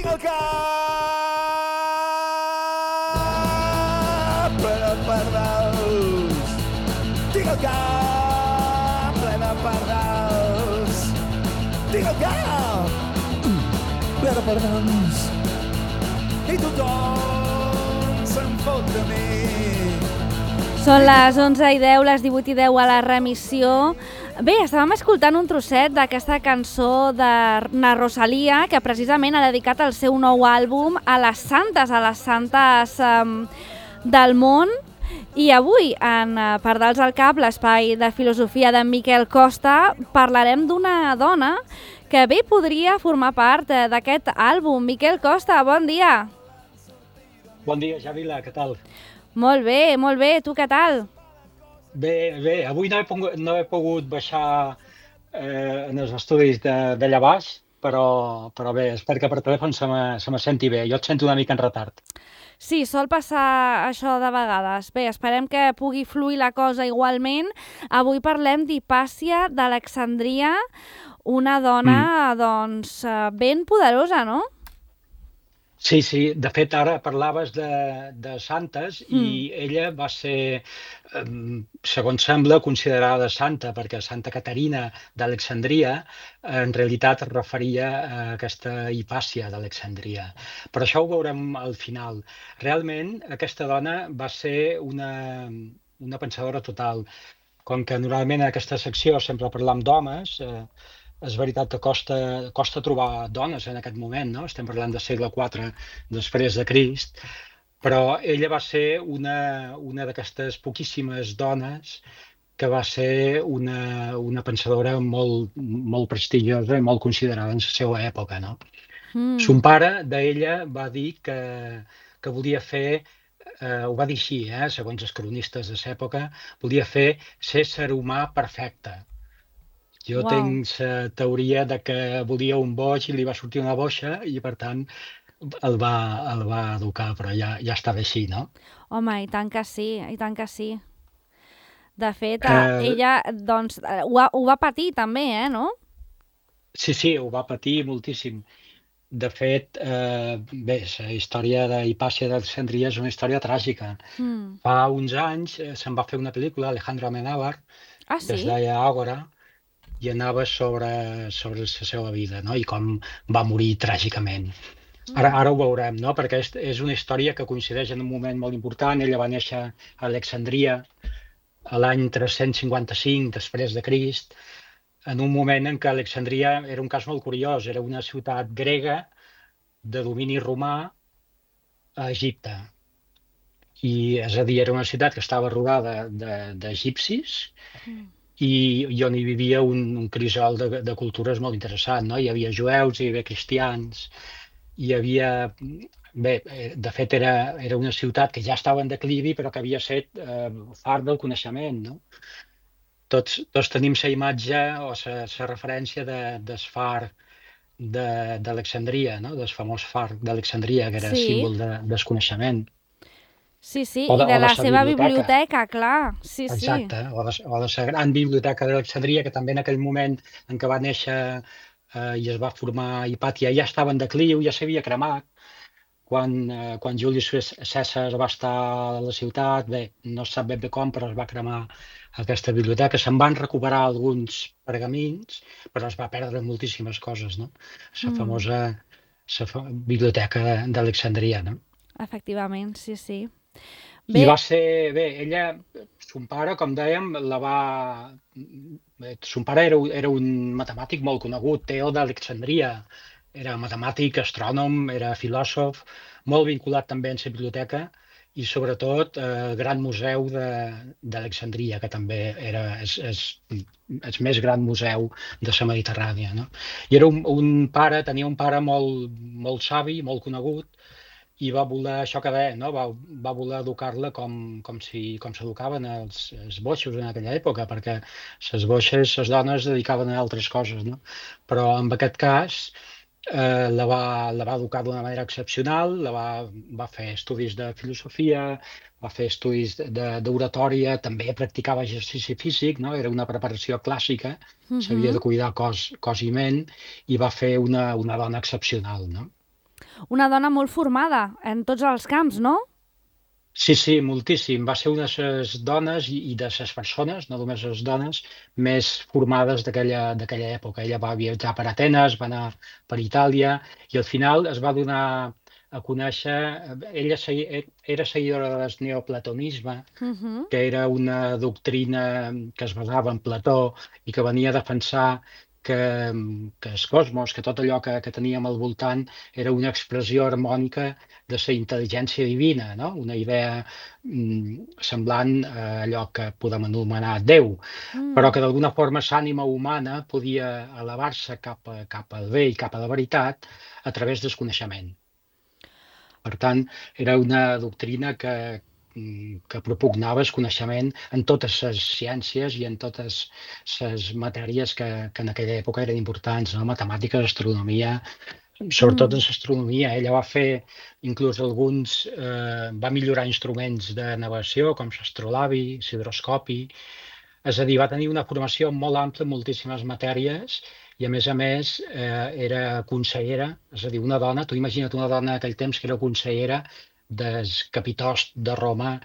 Tinc el cap ple de pardals. Tinc el cap ple de pardals. Tinc el cap ple de pardals. I tothom se'n fot de mi. Són les 11:10, les 18:10 a la remissió. Bé, estàvem escoltant un trosset d'aquesta cançó de na Rosalia, que precisament ha dedicat el seu nou àlbum a les santes del món. I avui, en Pardals al Cap, l'espai de filosofia d'en Miquel Costa, parlarem d'una dona que bé podria formar part d'aquest àlbum. Miquel Costa, bon dia. Bon dia, Javila, què tal? Molt bé. Tu què tal? Bé, avui no he pogut baixar en els estudis d'allà baix, però bé, espero que per telèfon se me senti bé. Jo et sento una mica en retard. Sí, sol passar això de vegades. Bé, esperem que pugui fluir la cosa igualment. Avui parlem d'Hipàcia d'Alexandria, una dona ben poderosa, no? Sí, de fet ara parlaves de santes i ella va ser, segons sembla, considerada santa perquè Santa Caterina d'Alexandria en realitat es referia a aquesta Hipàcia d'Alexandria. Però això ho veurem al final. Realment aquesta dona va ser una pensadora total. Com que normalment en aquesta secció sempre parlam d'homes, és veritat que costa trobar dones en aquest moment, no? Estem parlant del segle IV després de Crist, però ella va ser una d'aquestes poquíssimes dones que va ser una pensadora molt prestigiosa i molt considerada en la seva època, no? Son pare d'ella va dir que volia fer, ho va dir així, segons els cronistes de l'època, volia fer l'ésser humà perfecte. Jo tinc la teoria de que volia un boig i li va sortir una boixa i, per tant, el va educar, però ja estava així, no? Home, i tant que sí. De fet, ella doncs, ho va patir també, no? Sí, ho va patir moltíssim. De fet, bé, la història d'Hipàcia d'Alexandria és una història tràgica. Fa uns anys se'n va fer una pel·lícula, Alejandro Amenábar, que es deia Ágora, i anava sobre la seva vida, no? I com va morir tràgicament. Ara ho veurem, no? Perquè és una història que coincideix en un moment molt important. Ella va néixer a Alexandria a l'any 355 després de Crist, en un moment en què Alexandria era un cas molt curiós. Era una ciutat grega de domini romà a Egipte. És a dir, era una ciutat que estava rodada d'egipcis i on hi vivia un crisol de cultures molt interessant, no? Hi havia jueus, hi havia cristians, hi havia... Bé, de fet era una ciutat que ja estava en declivi però que havia set far del coneixement, no? Tots tenim la imatge o la referència del far d'Alexandria, no? Del famós far d'Alexandria, que era símbol del coneixement. Sí, i de la seva biblioteca, clar. Sí. Exacte, o de la gran biblioteca d'Alexandria, que també en aquell moment en què va néixer i es va formar Hipàtia ja estava en decliu, ja s'havia cremat. Quan Julius Cèsar va estar a la ciutat, bé, no es sap ben bé com, però es va cremar aquesta biblioteca. Se'n van recuperar alguns pergamins, però es va perdre moltíssimes coses, no? La famosa biblioteca d'Alexandria, no? Efectivament, sí. I va ser, bé, ella, son pare, com dèiem, son pare era un matemàtic molt conegut, Teó d'Alexandria, era matemàtic, astrònom, era filòsof, molt vinculat també en la biblioteca i sobretot el Gran Museu d'Alexandria, que també era el més gran museu de la Mediterrània, no? I era tenia un pare molt savi, molt conegut, i va voler, això que deia, no? Va voler educar-la com s'educaven els boixos en aquella època, perquè les boixes, les dones, es dedicaven a altres coses, no? Però en aquest cas la va educar d'una manera excepcional, va fer estudis de filosofia, va fer estudis d'oratòria, també practicava exercici físic, no? Era una preparació clàssica, s'havia de cuidar cos i ment, i va fer una dona excepcional, no? Una dona molt formada en tots els camps, no? Sí, sí, moltíssim. Va ser una de les dones i de les persones, no només les dones, més formades d'aquella època. Ella va viatjar per Atenes, va anar per Itàlia i al final es va donar a conèixer, ella era seguidora del neoplatonisme, que era una doctrina que es basava en Plató i que venia a defensar que el cosmos, que tot allò que teníem al voltant era una expressió harmònica de la intel·ligència divina, no? Una idea semblant a allò que podem anomenar Déu, però que d'alguna forma l'ànima humana podia elevar-se cap al bé i cap a la veritat a través del coneixement. Per tant, era una doctrina que propugnava el coneixement en totes les ciències i en totes les matèries que en aquella època eren importants, no? Matemàtiques, astronomia, sobretot en l'astronomia. Ella va fer inclús va millorar instruments de navegació com l'astrolabi, l'hidroscopi, és a dir, va tenir una formació molt ampla en moltíssimes matèries i a més era consellera, és a dir, una dona, tu imagina't una dona aquell temps que era consellera del capitost de Roma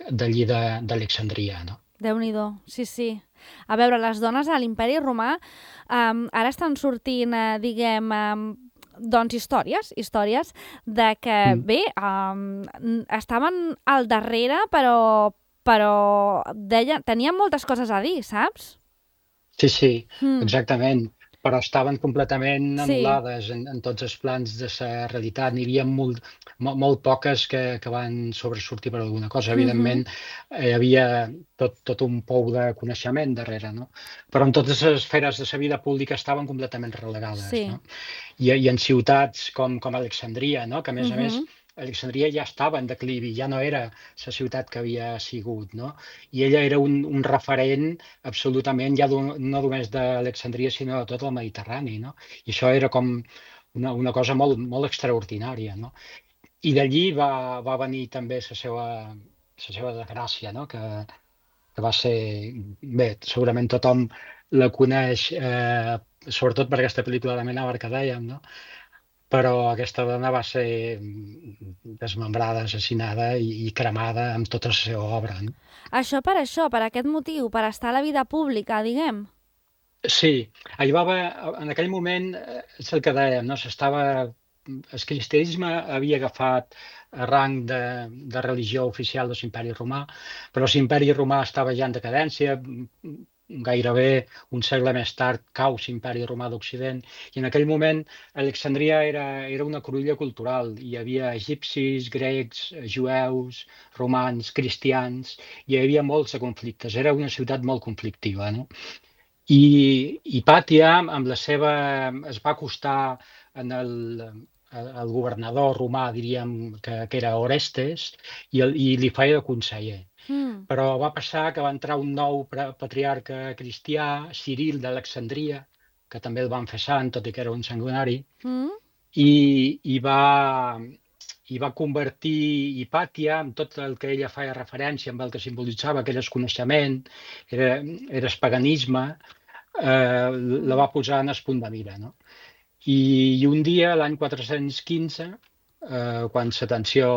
d'allí d'Alexandria, no? Déu-n'hi-do, sí, sí. A veure, les dones a l'Imperi Romà ara estan sortint, diguem, doncs històries de que, bé, estaven al darrere, però tenien moltes coses a dir, saps? Sí, exactament. Però estaven completament anul·lades Sí. en tots els plans de la realitat. N'hi havia molt poques que van sobresortir per alguna cosa. Evidentment, hi havia tot un pou de coneixement darrere, no? Però en totes les esferes de la vida pública estaven completament relegades, Sí. no? I en ciutats com Alexandria, no? Que a més, Alexandria ja estava en declivi, ja no era la ciutat que havia sigut, no? I ella era un referent absolutament, ja no només d'Alexandria, sinó de tot el Mediterrani, no? I això era com una cosa molt, molt extraordinària, no? I d'allí va venir també la seva desgràcia, no? Que va ser... Bé, segurament tothom la coneix, sobretot per aquesta pel·lícula de Amenábar que dèiem, no? Però aquesta dona va ser desmembrada, assassinada i cremada amb tota la seva obra, no? Això, per aquest motiu, per estar a la vida pública, diguem. Sí, en aquell moment, és el que dèiem, no? El cristianisme havia agafat rang de religió oficial de l'Imperi Romà, però l'Imperi Romà estava ja en decadència, gairebé un segle més tard cau l'Imperi Romà d'Occident, i en aquell moment Alexandria era una cruïlla cultural. Hi havia egipcis, grecs, jueus, romans, cristians, i hi havia molts conflictes. Era una ciutat molt conflictiva, no? I Pàtia, es va acostar al governador romà, diríem, que era Orestes, i li feia de conseller. Però va passar que va entrar un nou patriarca cristià, Ciril d'Alexandria, que també el van fer sant, tot i que era un sanguinari, i va convertir Hipàtia en tot el que ella feia referència, amb el que simbolitzava, que era el coneixement, era el paganisme, la va posar en el punt de mira, no? I un dia, l'any 415, quan la tensió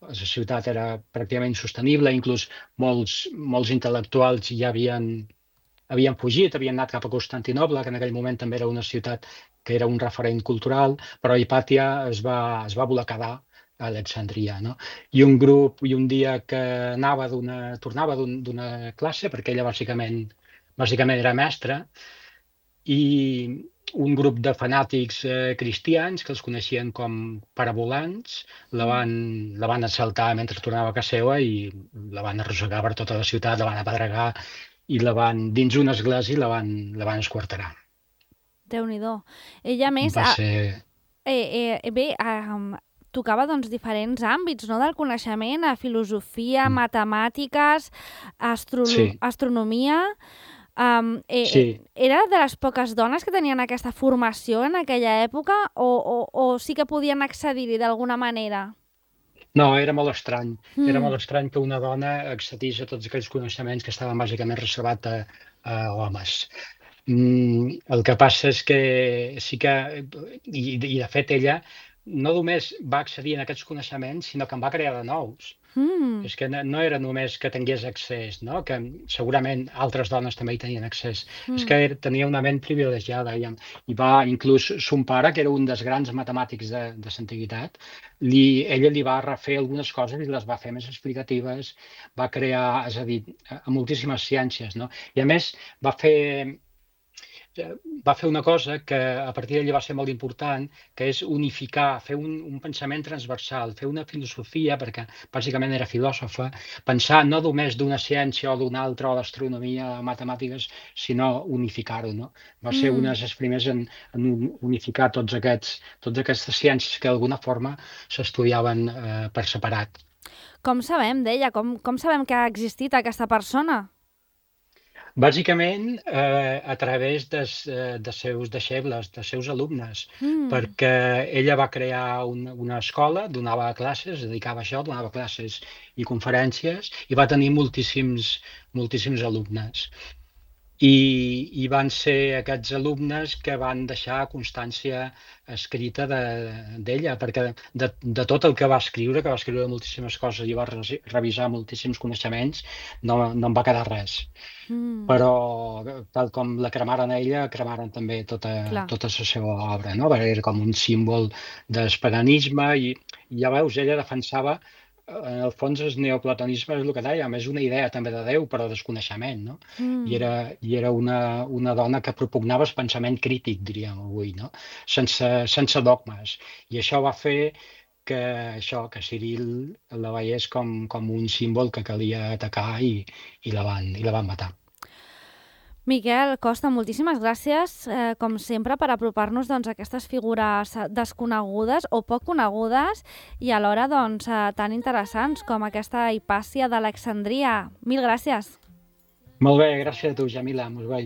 a la ciutat era pràcticament insostenible, inclús molts intel·lectuals ja havien fugit, havien anat cap a Constantinoble, que en aquell moment també era una ciutat que era un referent cultural, però Hipàtia es va voler quedar a Alexandria, no? I un dia que tornava d'una classe, perquè ella bàsicament era mestra, i un grup de fanàtics cristians que els coneixien com parabolans la van assaltar mentre tornava a casa seva i la van arrossegar per tota la ciutat, la van apedregar i dins una església la van esquarterar. Déu-n'hi-do. Ella més... tocava doncs, diferents àmbits, no?, del coneixement, filosofia, matemàtiques, astronomia... Era de les poques dones que tenien aquesta formació en aquella època o sí que podien accedir-hi d'alguna manera? No, era molt estrany. Era molt estrany que una dona accedís a tots aquells coneixements que estaven bàsicament reservats a homes. El que passa és que sí que, i de fet ella no només va accedir a aquests coneixements, sinó que en va crear de nous. És que no era només que tingués accés, no? Que segurament altres dones també hi tenien accés. És que tenia una ment privilegiada i va, inclús son pare, que era un dels grans matemàtics de l'antiguitat, ella li va refer algunes coses i les va fer més explicatives, va crear, és a dir, moltíssimes ciències, no? I a més va fer una cosa que a partir d'allà va ser molt important, que és unificar, fer un pensament transversal, fer una filosofia, perquè bàsicament era filòsofa, pensar no només d'una ciència o d'una altra, o d'astronomia, o matemàtiques, sinó unificar-ho, no? Va ser una de les primers en unificar totes aquestes ciències que d'alguna forma s'estudiaven per separat. Com sabem d'ella? Com sabem que ha existit aquesta persona? Bàsicament, a través de seus deixebles, de seus alumnes, perquè ella va crear una escola, donava classes, es dedicava a això, donava classes i conferències, i va tenir moltíssims alumnes. I van ser aquests alumnes que van deixar constància escrita d'ella, perquè de tot el que va escriure moltíssimes coses i va revisar moltíssims coneixements, no en va quedar res. Però tal com la cremaren a ella, cremaren també tota la seva obra, no? Era com un símbol del paganisme i ja veus, ella defensava, en el fons el neoplatonisme és el que dèiem, és una idea també de Déu, però desconeixement, no? I era una dona que propugnava el pensament crític, diríem avui, no? Sense dogmes. I això va fer que Ciril la veiés com un símbol que calia atacar i la van matar. Miquel Costa, moltíssimes gràcies, com sempre, per apropar-nos a aquestes figures desconegudes o poc conegudes i alhora tan interessants com aquesta Hipàcia d'Alexandria. Mil gràcies. Molt bé, gràcies a tu, Jamila. Molt bé.